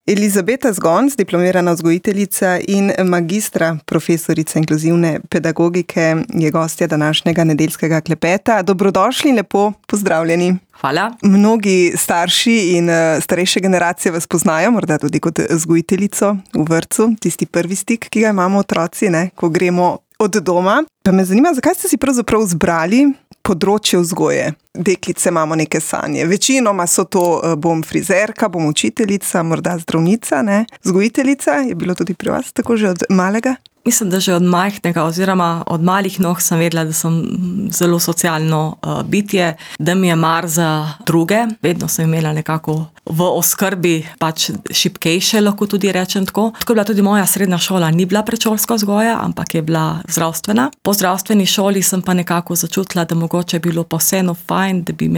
Elizabeta Zgonc, diplomirana vzgojiteljica in magistra profesorica inkluzivne pedagogike, je gostja današnjega nedeljskega klepeta. Dobrodošli in lepo pozdravljeni. Hvala. Mnogi starši in starejše generacije vas poznajo, morda tudi kot vzgojiteljico v vrtcu, tisti prvi stik, ki ga imamo otroci, ko gremo od doma. Pa me zanima, zakaj ste si pravzaprav izbrali področje vzgoje? Deklice imamo neke sanje. Večinoma so to, bom frizerka, bom učiteljica, morda zdravnica, vzgojiteljica. Je bilo tudi pri vas tako že od malega? Mislim, da že od majhnega oziroma od malih nog sem vedela, da sem zelo socialno bitje, da mi je mar za druge. Vedno sem imela nekako v oskrbi šibkejše, lahko tudi rečem tako. Tako je bila tudi moja srednja šola, ni bila predšolska vzgoja, ampak je bila zdravstvena. Po zdravstveni šoli sem pa nekako začutila, da mogoče je bilo pa vseeno fajn, da bi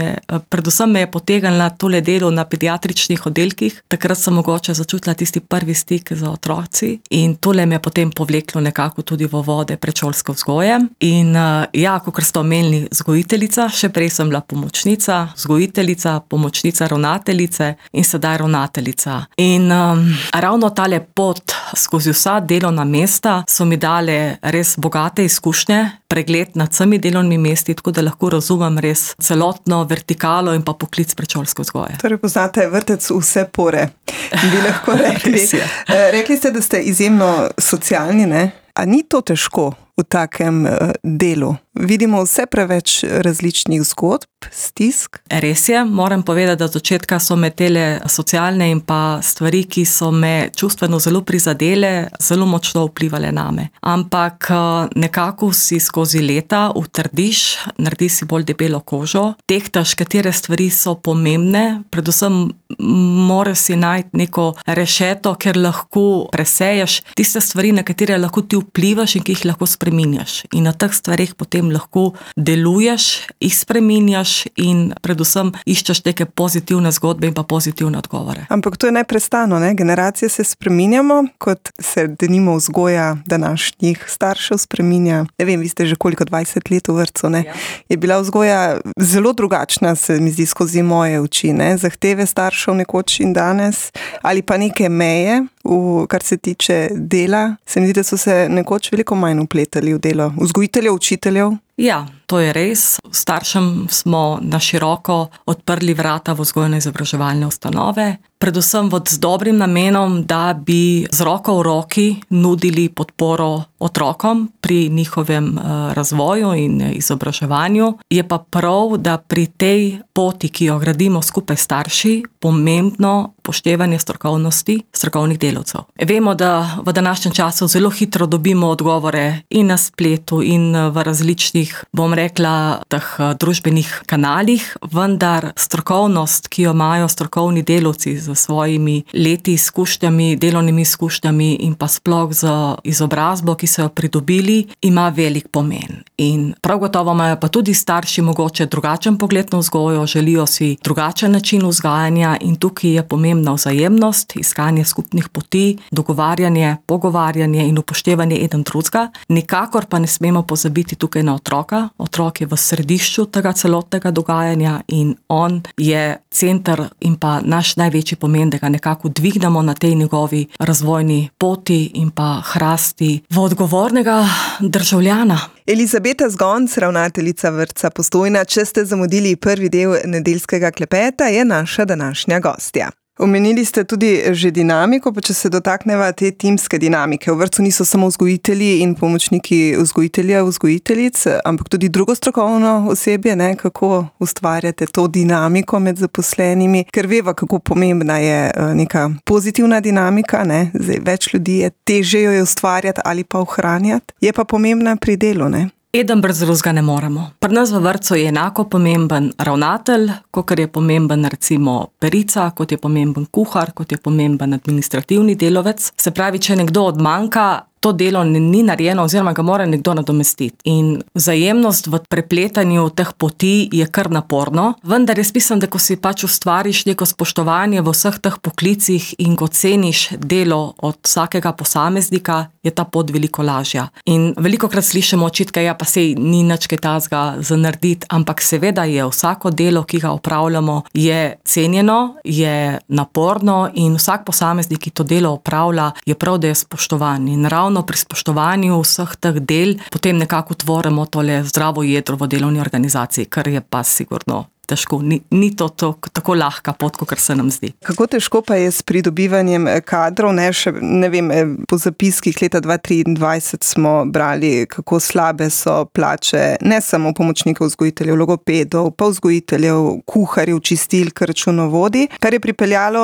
predvsem me je potegnila tole delo na pediatričnih oddelkih. Takrat sem mogoče začutila tisti prvi stik z otroci in tole me je potem povleklo nekako tudi v vode predšolske vzgoje. In kakor ste omenili, vzgojiteljica, še prej sem bila pomočnica, vzgojiteljica, pomočnica ravnateljice in sedaj ravnateljica. In ravno tale pot skozi vsa delovna mesta so mi dale res bogate izkušnje, pregled nad vsemi delovnimi mesti, tako da lahko razumem res celotno vertikalo in pa poklic predšolske vzgoje. Torej poznate vrtec vse pore, bi lahko rekli. Rekli ste, da ste izjemno socialni, A ni to težko v takem delu? Vidimo vse preveč različnih zgodb, stisk. Res je, moram povedati, da od začetka so me tele socialne in pa stvari, ki so me čustveno zelo prizadele, zelo močno vplivale name. Ampak nekako si skozi leta utrdiš, narediš si bolj debelo kožo, tehtaš, katere stvari so pomembne, predvsem moraš si najti neko rešeto, ker lahko preseješ tiste stvari, na katere lahko ti vplivaš in ki jih lahko spreminjaš. In na teh stvareh potem lahko deluješ, jih spreminjaš in predvsem iščeš neke pozitivne zgodbe in pa pozitivne odgovore. Ampak to je neprestano, generacije se spreminjamo, kot se denimo vzgoja današnjih staršev spreminja. Ne vem, vi ste že koliko, 20 let v vrtcu, Ja. Je bila vzgoja zelo drugačna, se mi zdi, skozi moje oči, Zahteve staršev nekoč in danes, ali pa neke meje, kar se tiče dela. Se mi zdi, da so se nekoč veliko manj vpletali v delo vzgojiteljev, učiteljev. Ja, to je res. Staršem smo na široko odprli vrata v vzgojno-izobraževalne ustanove, predvsem z dobrim namenom, da bi z roko v roki nudili podporo otrokom pri njihovem razvoju in izobraževanju. Je pa prav, da pri tej poti, ki jo gradimo skupaj starši, pomembno upoštevanje strokovnosti strokovnih delavcev. Vemo, da v današnjem času zelo hitro dobimo odgovore in na spletu in v različnih, bom rekla, teh družbenih kanalih, vendar strokovnost, ki jo imajo strokovni delavci z svojimi leti izkušnjami, delovnimi izkušnjami in pa sploh z izobrazbo, ki so jo pridobili, ima velik pomen. In prav gotovo imajo pa tudi starši mogoče drugačen pogled na vzgojo, želijo si drugačen način vzgajanja in tukaj je pomembna vzajemnost, iskanje skupnih poti, dogovarjanje, pogovarjanje in upoštevanje eden drugega. Nikakor pa ne smemo pozabiti tukaj na otroka. Otrok je v središču tega celotnega dogajanja in on je center in pa naš največji pomen, da ga nekako dvignemo na tej njegovi razvojni poti in pa hrasti v odgovornega državljana. Elizabeta Zgonc, ravnateljica vrtca Postojna, če ste zamudili prvi del nedeljskega klepeta, je naša današnja gostja. Omenili ste tudi že dinamiko, pa če se dotakneva te timske dinamike. V vrtcu niso samo vzgojitelji in pomočniki vzgojitelja, vzgojiteljic, ampak tudi drugo strokovno osebje, kako ustvarjate to dinamiko med zaposlenimi, ker veva, kako pomembna je neka pozitivna dinamika, Zdaj, več ljudi je težje jo ustvarjati ali pa ohranjati, je pa pomembna pri delu, Eden brez drugega ne moremo. Pri nas v vrtcu je enako pomemben ravnatelj, kot je pomemben recimo perica, kot je pomemben kuhar, kot je pomemben administrativni delavec. Se pravi, če nekdo odmanjka, to delo ni narejeno oziroma ga mora nekdo nadomestiti. In vzajemnost v prepletanju teh poti je kar naporno, vendar jaz mislim, da ko si pač ustvariš neko spoštovanje v vseh teh poklicih in ko ceniš delo od vsakega posameznika, je ta pot veliko lažja. In velikokrat slišimo očitke, ja pa sej ni nič kaj tazga za narediti, ampak seveda je vsako delo, ki ga opravljamo, je cenjeno, je naporno in vsak posameznik, ki to delo opravlja, je prav, da je spoštovan. In ravno pri spoštovanju vseh teh del potem nekako tvorimo tole zdravo jedro v delovni organizaciji, kar je pa sigurno težko. Ni to tako lahka pot, kot se nam zdi. Kako težko pa je s pridobivanjem kadrov? Ne vem, po zapiskih leta 2023 smo brali, kako slabe so plače ne samo pomočnikov vzgojiteljev, logopedov, pa vzgojiteljev, kuharjev, čistilk, računovodij, kar je pripeljalo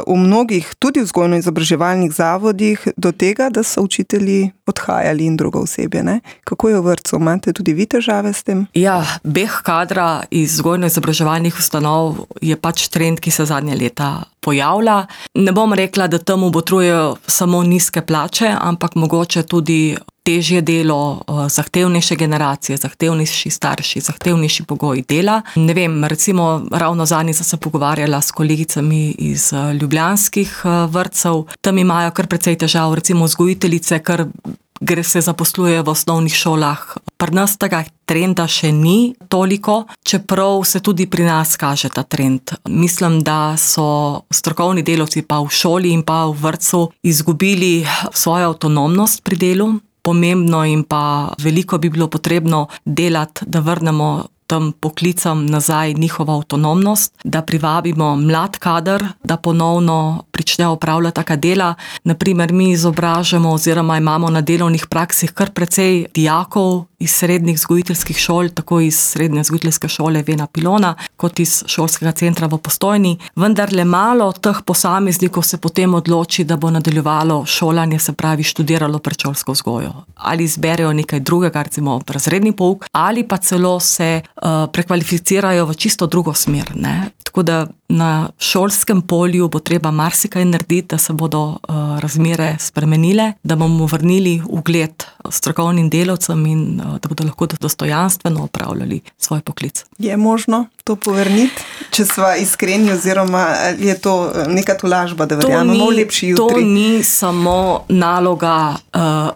v mnogih, tudi vzgojno-izobraževalnih zavodih, do tega, da so učitelji odhajali in drugo osebje. Ne? Kako je v vrtcu? Imate tudi vi težave s tem? Ja, beh kadra iz vzgojno-izobraževalnih ustanov je pač trend, ki se zadnje leta pojavlja. Ne bom rekla, da temu botrujejo samo nizke plače, ampak mogoče tudi težje delo, zahtevnejše generacije, zahtevnejši starši, zahtevnejši pogoji dela. Ne vem, recimo ravno zadnjič sem se pogovarjala s kolegicami iz ljubljanskih vrtcev, tam imajo kar precej težav, recimo vzgojiteljice, kar se zaposluje v osnovnih šolah. Pri nas tega trenda še ni toliko, čeprav se tudi pri nas kaže ta trend. Mislim, da so strokovni delavci pa v šoli in pa v vrtcu izgubili svojo avtonomnost pri delu. Pomembno in pa veliko bi bilo potrebno delati, da vrnemo tem poklicam nazaj njihovo avtonomnost, da privabimo mlad kader, da ponovno prične opravljati taka dela. Naprimer, mi izobražamo oziroma imamo na delovnih praksih kar precej dijakov iz srednjih vzgojiteljskih šol, tako iz srednje vzgojiteljske šole Vena Pilona, kot iz šolskega centra v Postojni. Vendar le malo teh posameznikov se potem odloči, da bo nadaljevalo šolanje, se pravi študiralo predšolsko vzgojo. Ali izberejo nekaj drugega, recimo razredni pouk, ali pa celo se prekvalificirajo v čisto drugo smer. Ne? Tako da na šolskem polju bo treba marsikaj narediti, da se bodo razmere spremenile, da bomo vrnili ugled strokovnim delavcem in da bodo lahko dostojanstveno opravljali svoj poklic. Je možno to povrniti, če sva iskreni, oziroma je to neka tolažba, da verjamemo v lepši jutri? To ni samo naloga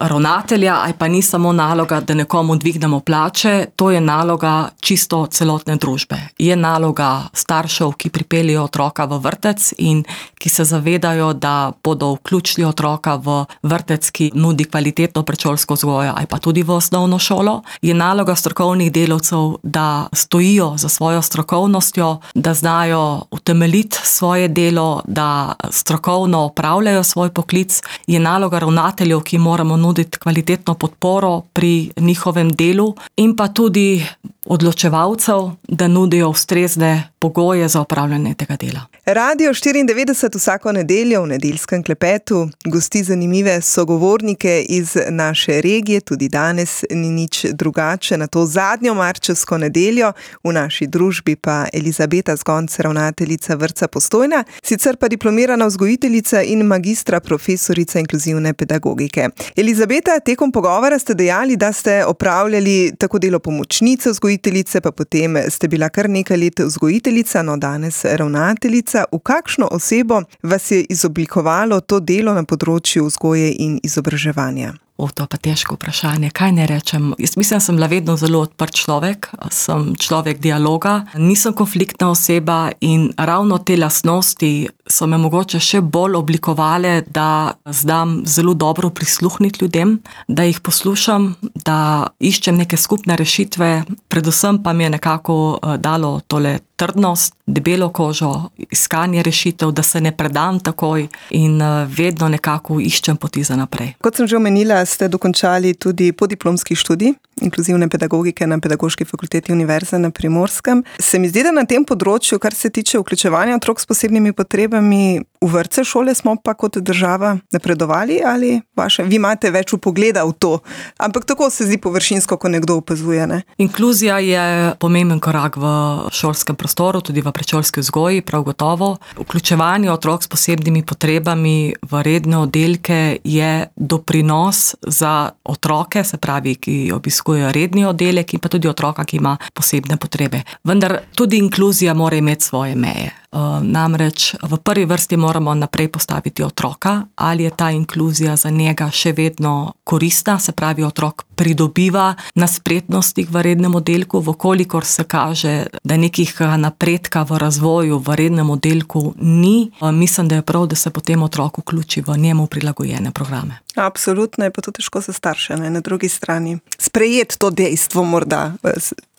ravnatelja, ali pa ni samo naloga, da nekomu dvignemo plače, to je naloga čisto celotne družbe. Je naloga staršev, ki pripeljejo otroka v vrtec in ki se zavedajo, da bodo vključili otroka v vrtec, ki nudi kvalitetno predšolsko vzgojo, ali pa tudi v osnovno šolo. Je naloga strokovnih delavcev, da stojijo za svojo strokovnostjo, da znajo utemeljiti svoje delo, da strokovno opravljajo svoj poklic. Je naloga ravnateljev, ki moramo nuditi kvalitetno podporo pri njihovem delu in pa tudi odločevalcev, da nudijo ustrezne pogoje za opravljanje tega dela. Radio 94 vsako nedeljo v nedeljskem klepetu gosti zanimive sogovornike iz naše regije, tudi danes ni nič drugače. Na to zadnjo marčevsko nedeljo v naši družbi pa Elizabeta Zgonc, ravnateljica vrtca Postojna, sicer pa diplomirana vzgojiteljica in magistra profesorica inkluzivne pedagogike. Elizabeta, tekom pogovora ste dejali, da ste opravljali tako delo pomočnice vzgojiteljice, pa potem ste bila kar nekaj let vzgojiteljica, no danes ravnateljica. V kakšno osebo vas je izoblikovalo to delo na področju vzgoje in izobraževanja? To pa težko vprašanje, kaj ne rečem. Jaz mislim, da sem bila vedno zelo odprt človek, sem človek dialoga, nisem konfliktna oseba in ravno te lastnosti so me mogoče še bolj oblikovale, da znam zelo dobro prisluhniti ljudem, da jih poslušam, da iščem neke skupne rešitve, predvsem pa mi je nekako dalo tole trdnost, debelo kožo, iskanje rešitev, da se ne predam takoj in vedno nekako iščem poti za naprej. Kot sem že omenila, ste dokončali tudi podiplomski študij inkluzivne pedagogike na Pedagoški fakulteti Univerze na Primorskem. Se mi zdi, da na tem področju, kar se tiče vključevanja otrok s posebnimi potrebami, V vrtce, šole smo pa kot država napredovali ali vi imate več vpogleda v to? Ampak tako se zdi površinsko, ko nekdo opazuje, ne? Inkluzija je pomemben korak v šolskem prostoru, tudi v predšolski vzgoji, prav gotovo. Vključevanje otrok s posebnimi potrebami v redne oddelke je doprinos za otroke, se pravi, ki obiskujejo redni oddelek, in pa tudi otroka, ki ima posebne potrebe. Vendar tudi inkluzija mora imeti svoje meje. Namreč v prvi vrsti moramo naprej postaviti otroka, ali je ta inkluzija za njega še vedno koristna, se pravi, otrok pridobiva na spretnostih v rednem oddelku, vkolikor se kaže, da nekih napredka v razvoju v rednem oddelku ni, mislim, da je prav, da se potem otrok vključi v njemu prilagojene programe. Absolutno, je pa to težko za starše, ne? Na drugi strani. Sprejeti to dejstvo morda,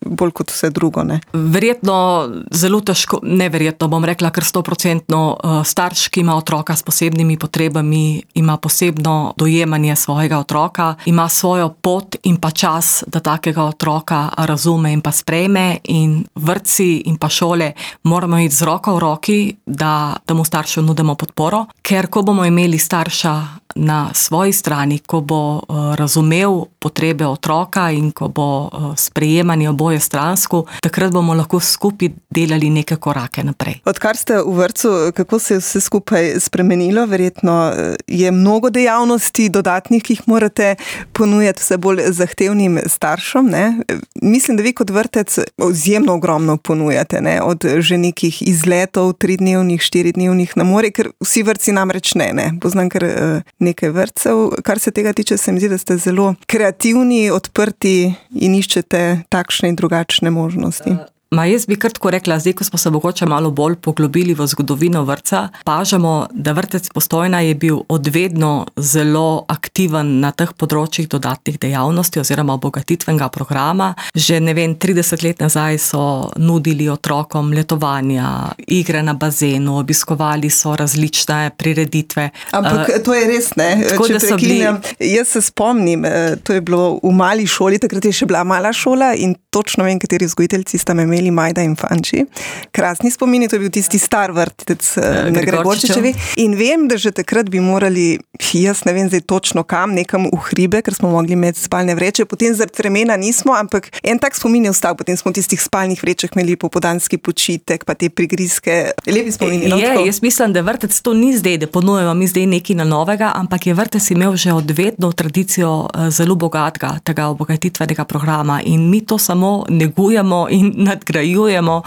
bolj kot vse drugo, ne? Verjetno zelo težko, neverjetno bom rekla, ker 100% starš, ki ima otroka s posebnimi potrebami, ima posebno dojemanje svojega otroka, ima svojo pot in pa čas, da takega otroka razume in pa sprejme, in vrtci in pa šole moramo iti z roko v roki, da mu staršu nudimo podporo, ker ko bomo imeli starša na svoji strani, ko bo razumel potrebe otroka in ko bo sprejemanje oboje stransko, takrat bomo lahko skupaj delali neke korake naprej. Odkar ste v vrtcu, kako se je vse skupaj spremenilo? Verjetno je mnogo dejavnosti dodatnih, ki jih morate ponujati vse bolj zahtevnim staršem, ne? Mislim, da vi kot vrtec izjemno ogromno ponujate, ne? Od že nekih izletov, 3-dnevnih, 4-dnevnih na morje, ker vsi vrtci namreč ne. Poznam kar nekaj vrtcev. Kar se tega tiče, se mi zdi, da ste zelo kreativni, odprti in iščete takšne in drugačne možnosti. Jaz bi kar tako rekla, zdaj, ko smo se mogoče malo bolj poglobili v zgodovino vrtca, opažamo, da vrtec Postojna je bil odvedno zelo aktiven na teh področjih dodatnih dejavnosti oziroma obogatitvenega programa. Že 30 let nazaj so nudili otrokom letovanja, igre na bazenu, obiskovali so različne prireditve. Ampak to je res, ne? Če preklinjam, jaz se spomnim, to je bilo v mali šoli, takrat je še bila mala šola in točno vem, kateri vzgojiteljci sta me imeli Majda in Fanči. Krasni spomini, to je bil tisti star vrtec na Gregorčičevi. In vem, da že takrat bi morali, jaz ne vem zdaj točno kam, nekam v hribe, ker smo mogli imeti spalne vreče, potem zaradi vremena nismo, ampak en tak spomin je ostal, potem smo v tistih spalnih vrečah imeli popoldanski počitek, pa te prigrizke, lepi spomini. Jaz mislim, da vrtec to ni zdaj, da ponujemo mi zdaj nekaj na novega, ampak je vrtec imel že odvedno tradicijo zelo bogatega tega obogatitvenega programa in mi to samo negujemo in nadgrajujemo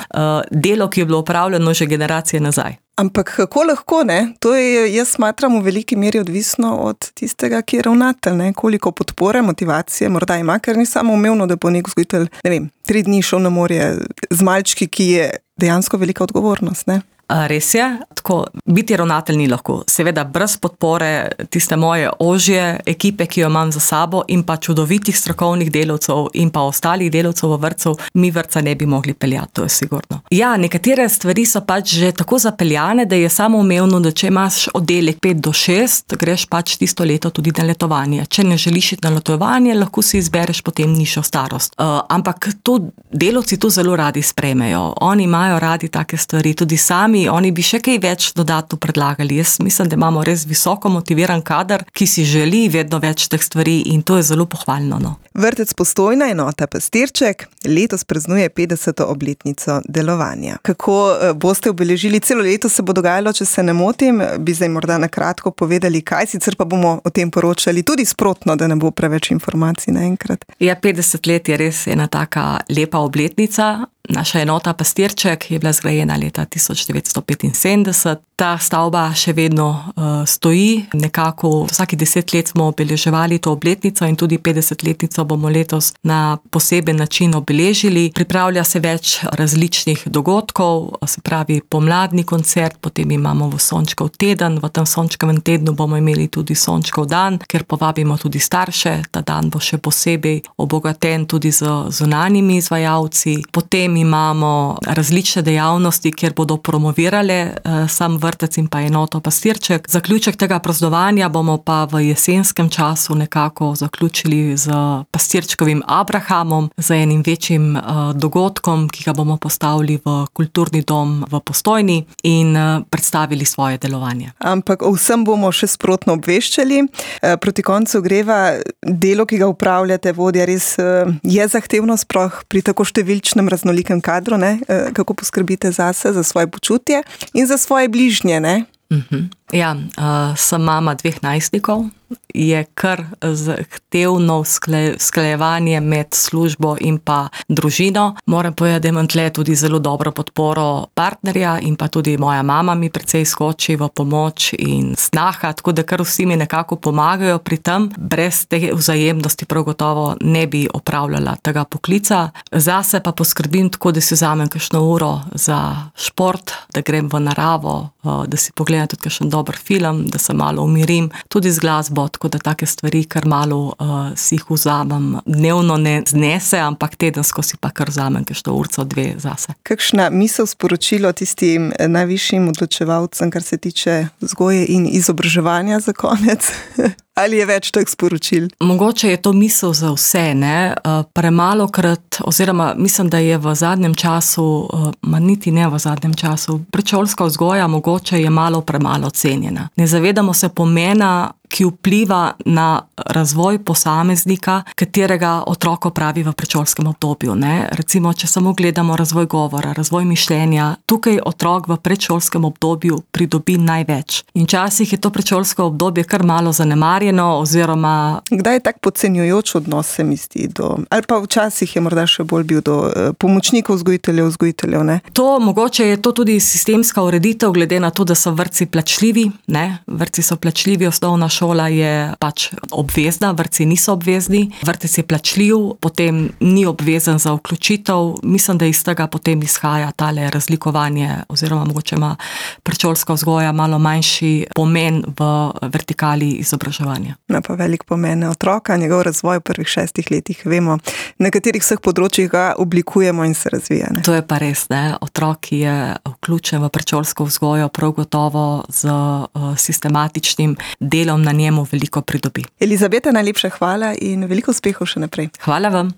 delo, ki je bilo opravljeno že generacije nazaj. Ampak kako lahko, ne? To je, jaz smatram, v veliki meri odvisno od tistega, ki je ravnatelj, ne? Koliko podpore, motivacije morda ima, ker ni samo umevno, da bo nek vzgojitelj, 3 dni šel na morje z malčki, ki je dejansko velika odgovornost, ne? Res je, tako biti ravnatelj ni lahko. Seveda brez podpore tiste moje ožje ekipe, ki jo imam za sabo, in pa čudovitih strokovnih delavcev in pa ostalih delavcev v vrtcu, mi vrtca ne bi mogli peljati, to je sigurno. Ja, nekatere stvari so pač že tako zapeljane, da je samoumevno, da če imaš oddelek 5 do 6, greš pač tisto leto tudi na letovanje. Če ne želiš iti na letovanje, lahko si izbereš potem nižjo starost. Ampak to delavci to zelo radi sprejmejo. Oni imajo radi take stvari, tudi sami oni bi še kaj več dodatno predlagali. Jaz mislim, da imamo res visoko motiviran kader, ki si želi vedno več teh stvari in to je zelo pohvalno. No. Vrtec Postojna, enota Pastirček, letos praznuje 50. obletnico delovanja. Kako boste obeležili? Celo leto se bo dogajalo, če se ne motim, bi zdaj morda na kratko povedali, kaj, sicer pa bomo o tem poročali tudi sprotno, da ne bo preveč informacij naenkrat. Ja, 50 let je res ena taka lepa obletnica. Naša enota Pastirček je bila zgrajena leta 1975. Ta stavba še vedno stoji. Nekako vsaki 10 let smo obeleževali to obletnico in tudi 50-letnico bomo letos na poseben način obeležili. Pripravlja se več različnih dogodkov, se pravi pomladni koncert, potem imamo Sončkov teden. V tem Sončkovem tednu bomo imeli tudi Sončkov dan, ker povabimo tudi starše. Ta dan bo še posebej obogaten tudi z zunanjimi izvajalci. Potem imamo različne dejavnosti, kjer bodo promovirale sam vrtec in pa enoto Pastirček. Zaključek tega praznovanja bomo pa v jesenskem času nekako zaključili z Pastirčkovim Abrahamom, z enim večjim dogodkom, ki ga bomo postavili v kulturni dom v Postojni in predstavili svoje delovanje. Ampak o vsem bomo še sprotno obveščali. Proti koncu greva, delo, ki ga upravljate, vodja, res je zahtevno, sploh pri tako številčnem raznolikem kadru, ne? Kako poskrbite zase, za svoje počutje in za svoje bližnje, ne? Ja, sem mama 2 najstnikov, je kar zahtevno usklajevanje med službo in pa družino. Moram povedati, da imam tle tudi zelo dobro podporo partnerja in pa tudi moja mama mi precej skoči v pomoč in snaha, tako da kar vsi mi nekako pomagajo pri tem. Brez te vzajemnosti prav gotovo ne bi opravljala tega poklica. Zase pa poskrbim tako, da si vzamem kakšno uro za šport, da grem v naravo, da si pogledam tudi kakšen dober film, da se malo umirim, tudi z glasbo, tako da take stvari kar malo si jih vzamem. Dnevno ne znese, ampak tedensko si pa kar vzamem kakšno urco, 2 zase. Kakšna misel, sporočilo tistim najvišjim odločevalcem, kar se tiče vzgoje in izobraževanja za konec? Ali je več teh sporočil? Mogoče je to misel za vse, ne? Premalokrat, oziroma mislim, da je v zadnjem času, niti ne v zadnjem času, predšolska vzgoja mogoče je malo premalo cenjena. Ne zavedamo se pomena, ki vpliva na razvoj posameznika, katerega otrok opravi v predšolskem obdobju, ne? Recimo, če samo gledamo razvoj govora, razvoj mišljenja, tukaj otrok v predšolskem obdobju pridobi največ. In včasih je to predšolsko obdobje kar malo zanemarjeno, oziroma... Kdaj je tak podcenjujoč odnos, se mi zdi, ali pa včasih je morda še bolj bil do pomočnikov vzgojiteljev, ne? Mogoče je to tudi sistemska ureditev, glede na to, da so vrtci plačljivi, ne? Vrtci so plačljivi, osnovna šola je pač obvezna, vrtci niso obvezni, vrtec je plačljiv, potem ni obvezen za vključitev. Mislim, da iz tega potem izhaja tale razlikovanje, oziroma mogoče ima predšolska vzgoja malo manjši pomen v vertikali izobraževanja. Pa velik pomen otroka, njegov razvoj v prvih 6 letih, vemo, na katerih vseh področjih ga oblikujemo in se razvija. Ne? To je pa res, ne? Otrok, ki je vključen v predšolsko vzgojo, prav gotovo z sistematičnim delom na njemu veliko pridobi. Elizabeta, najlepša hvala in veliko uspehov še naprej. Hvala vam.